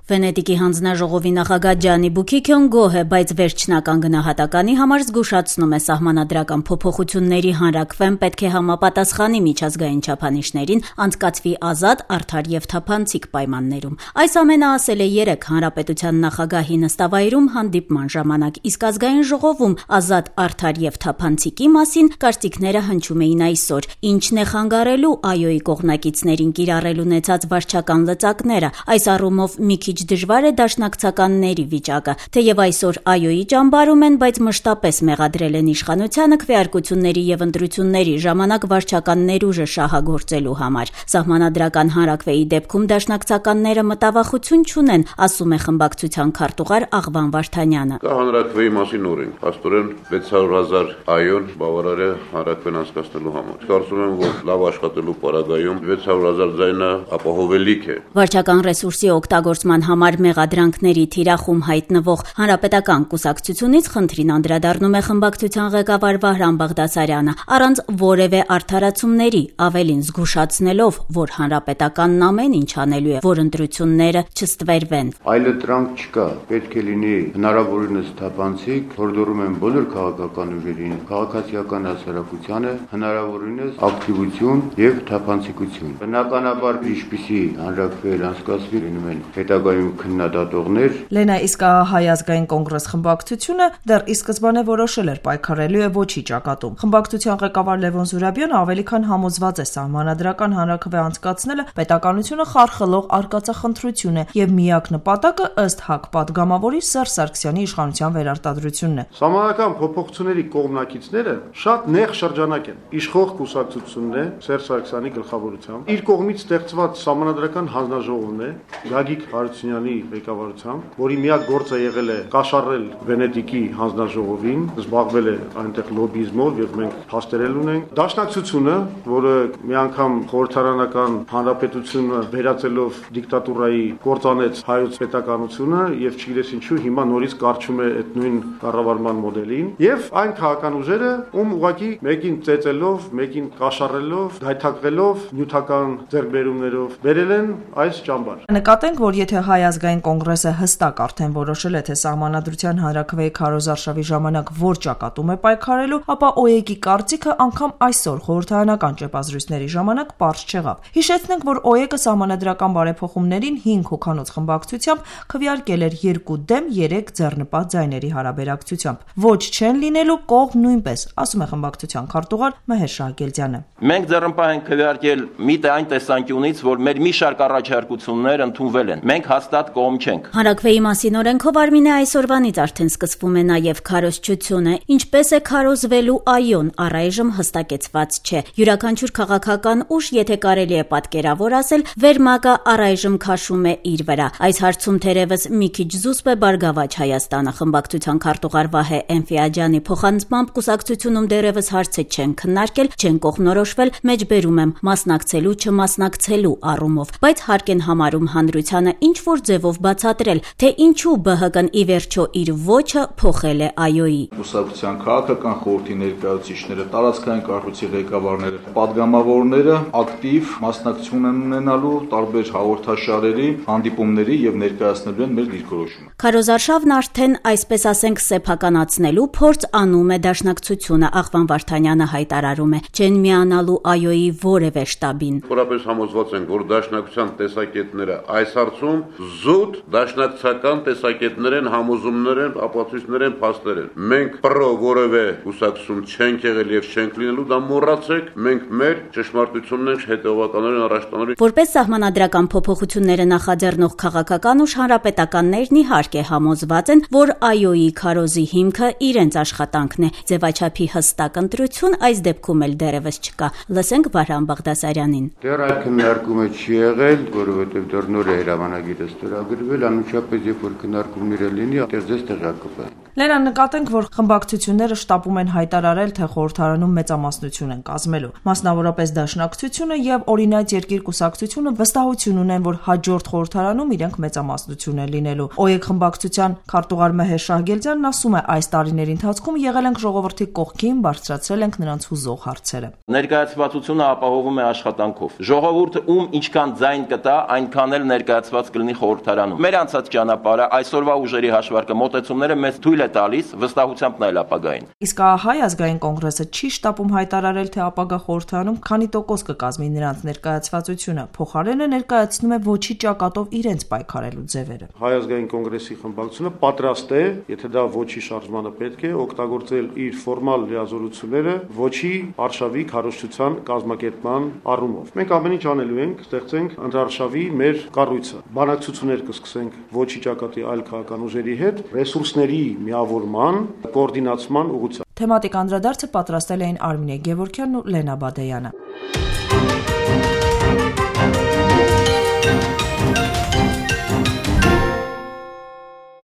Վենետիկի հանձնաժողովի նախագահ Ջանի Բուքիքյոն գոհ է, բայց վերջնական գնահատականի համար զգուշացնում է սահմանադրական փոփոխությունների հանրաքվեն պետք է համապատասխանի միջազգային չափանիշներին, անցկացվի ազատ, արդար եւ թափանցիկ պայմաններում։ Այս ամենը ասել է 3 հանրապետության նախագահի նստավայրում հանդիպման ժամանակ, իսկ ազգային ժողովում ազատ, արդար եւ թափանցիկի մասին կարծիքները հնչում էին այսօր։ Ինչն է խանգարելու ԱՅՈ-ի կողմնակիցներին կիրառել ունեցած վարչական լծակները։ Այս առումով մի քիչ դժվար է դաշնակցականների վիճակը, թեև այսօր ԱՅՈ-ի ճամբարում են, բայց մշտապես մեղադրել են իշխանությանը քվեարկությունների եւ ընտրությունների ժամանակ վարչական ներուժը շահագործելու համար։ Սահմանադրական հանրաքվեի դեպքում դաշնակցականները մտավախություն չունեն, ասում է խմբակցության քարտուղար Աղվան Վարդանյանը։ Կա հանրաքվեի մասին օրենք, փաստորեն 600,000 ԱՅՈ-ն բավարար է հանրաքվեն անցկացնելու համար։ Կարծում եմ, որ լավ աշխատելու պարագայում 600,000 ձայնը ապահովելիք է։ Վարչական ռեսուրսի օգտագործման համար մեղադրանքների թիրախում հայտնվող հանրապետական կուսակցությունից խնդրին անդրադառնում է խմբակցության ղեկավար Վահրամ Բաղդասարյանը, առանց որևէ արդարացումների, ավելին զգուշացնելով, որ հանրապետականն ամեն ինչ անելու է, որ ընտրությունները չստվերվեն։ Այլընտրանք չկա, պետք է լինի հնարավորինս թափանցիկ, հորդորում են բոլոր քաղաքական ուժերին, քաղաքացիական հասարակությանը հնարավորինս ակտիվություն եւ թափանցիկություն։ Բնականաբար ինչպիսի հանրաքվեեր անցկացվի լինում են հետագայում քննադատողներ։ Լենա, իսկ Հայ ազգային կոնգրես խմբակցությունը դեռ ի սկզբանե որոշել էր պայքարելու է ոչի ճակատում։ Խմբակցության ղեկավար Լևոն Զուրաբյանը ավելի քան համոզված է սահմանադրական հանրաքվե անցկացնելը պետականությունը խարխլող արկածախնդրություն է եւ միակ նպատակը ըստ ՀԱԿ պատգամավորի Սերժ Սարգսյանի իշխանության վերարտադրությունն է։ Սահմանադրական փոփոխությունների կողմնակիցները շատ նեղ շրջանակ են։ Իշխող կուսակցությունն է Սերժ Սարգսյանի գլխավորությամբ։ Իր կողմից ստեղծված սահմանադրական հանձնաժողովն է Գագիկ Հարությունյանի ղեկավարությամբ, որի միակ գործը եղել է կաշառել Վենետիկի հանձնաժողովին, զբաղվել է այնտեղ լոբիզմով եւ մենք փաստերել ունենք։ Դաշնակցությունը, որը մի անգամ խորհրդարանական հանրապետությունը վերածելով դիկտատուրայի կործանեց հայոց պետականությունը եւ չգիտես ինչու հիմա նորից կարճում է այդ նույն կառավարման մոդելին եւ այն քաղաքական ուժերը, ում ուղղակի մեկին ծեծելով, մեկին կաշառելով, գայթակղելով, նյութական ձեռքբերումներով վերել են այս ճամբար։ Նկատենք, որ եթե Հայ ազգային կոնգրեսը հստակ արդեն որոշել է, թե սահմանադրության հանրաքվեի քարոզարշավի ժամանակ որ ճակատում է պայքարելու, ապա ՕԵԿ-ի կարծիքը անգամ այսօր խորհրդարանական ճեպազրույցների ժամանակ պարզ չեղավ։ Հիշեցնենք, որ ՕԵԿ-ը սահմանադրական բարեփոխումներին 5 հոգանոց խմբակցությամբ քվեարկել էր 2 դեմ 3 ձեռնպատ ձայների հարաբերակցությամբ։ Ոչ չեն լինելու կողմ նույնպես, ասում է խմբակցության քարտուղար Մհեր Շահգելդյանը։ Մենք ձեռնպատ ենք քվեարկել միտը այն տեսանկյունից, որ մեր մի շարք առաջարկություններ ընդունվել են։ Մենք հաստատ կողմ չենք։ Հանրաքվեի մասին օրենքով Արմինե այսօրվանից արդեն սկսվում է նաև քարոզչությունը, ինչպես է քարոզվելու ԱՅՈ-ն առայժմ հստակեցված չէ։ Յուրաքանչյուր քաղաքական ուժ, եթե կարելի է պատկերավոր ասել, վերմակը առայժմ քաշում է իր վրա։ Այս հարցում թերևս մի քիչ զուսպ է Բարգավաճ Հայաստանը, խմբակցության քարտուղար Վահե Էնֆիաջյանի փոխանցմամբ կուսակցությունում դեռևս հարցը չեն քննարկել, չեն կողմնորոշվել, մեջբերում եմ մասնակցելու, չմասնակցելու առումով, բայց հարկ են համարում հանրությանը ինչ որ ձևով բացատրել, թե ինչու ԲՀԿ-ն ի վերջո իր ոչը փոխել է ԱՅՈ-ի։ Կուսակցության քաղաքական խորհրդի ներկայացուցիչները, տարածքային կառույցի ղեկավարները, պատգամավորները ակտիվ մասնակցություն են ունենալու տարբեր հաղորդաշարերի, հանդիպումների եւ ներկայացնելու են մեր դիրքորոշումը։ Քարոզարշավն արդեն, այսպես ասենք, սեփականացնելու փորձ անում է դաշնակցությունը, Աղվան Վարդանյանը հայտարարում է, չեն միանալու ԱՅՈ-ի որևէ շտաբին։ Որապես համոզված ենք, որ դաշնակցության տեսակետները այս հարցում զուտ դաշնակցական տեսակետներ են, համոզումներ են, ապացույցներ են, փաստեր են։ Մենք պրո որևէ կուսակցություն չենք եղել եւ չենք լինելու, դա մոռացեք, մենք մեր ճշմարտությունն ենք հետեւականորեն առաջ տանելու։ Որպես սահմանադրական փոփոխությունները նախաձեռնող քաղաքական ուժ հանրապետականներն իհարկե համոզված են, որ ԱՅՈ-ի քարոզի հիմքը իրենց աշխատանքն է։ Ձևաչափի հստակ ընտրություն այս դեպքում էլ դեռևս չկա։ Լսենք Վահրամ Բաղդասարյանին։ Դեռ այդ քննարկումը չի եղել, որովհետև դեռ նոր է հրամանագիրը ստորագրվել, անմիջապես երբ որ քննարկումները լինի, այդտեղ տեղակ կպահենք։ Լենա, նկատենք, որ խմբակցությունները շտապում են հայտարարել, թե խորհրդարանում մեծամասնություն են կազմելու։ Մասնավորապես դաշնակցությունը եւ օրինաց երկիր կուսակցությունը վստահություն ունեն, որ հաջորդ խորհրդարանում իրենք մեծամասնություն են լինելու։ ՕԵԿ խմբակցության քարտուղար Մհեր Շահգելդյանն ասում է, այս տարիների ընթացքում եղել ենք ժողովրդի կողքին, բարձրացրել ենք նրանց հուզող հարցերը։ Ներկայացվածությունը ապահովում է աշխատանքով։ Ժողովուրդը ում ինչքան ձայն կտա, այնքան էլ ներկայացված կլինի խորհրդարանում։ Մեր անցած ճանապարհը, այսօրվա ուժերի հաշվարկը, մոտեցումները մեզ թույլ է տալիս վստահությամբ նայել ապագային։ Իսկ Հայ ազգային կոնգրեսը չի շտապում հայտարարել, թե ապագա խորհրդարանում քանի տոկոս կկազմի նրանց ներկայացվածությունը, փոխարենը ներկայացնում է ոչի ճակատով իրենց պայքարելու ձևերը։ Հայ ազգային կոնգրեսի խմբակցությունը պատրաստ է, եթե դա ոչի շարժմանը պետք է, օգտագործել իր ֆորմալ լիազորությունները ոչի արշավի քարոզչության կազմակերպման առումով։ Մենք ամեն ինչ անելու ենք, ստեղծենք ընդհանրաշավի մեր կառույցը։ Բանակցություններ կսկսենք ոչի ճակատի այլ քաղաքական ուժերի հետ, ռեսուրսների միավորման, կոորդինացման ուղղությամբ։ Թեմատիկ անդրադարձը պատրաստել էին Արմինե Գևորգյանն ու Լենա Բադեյանը։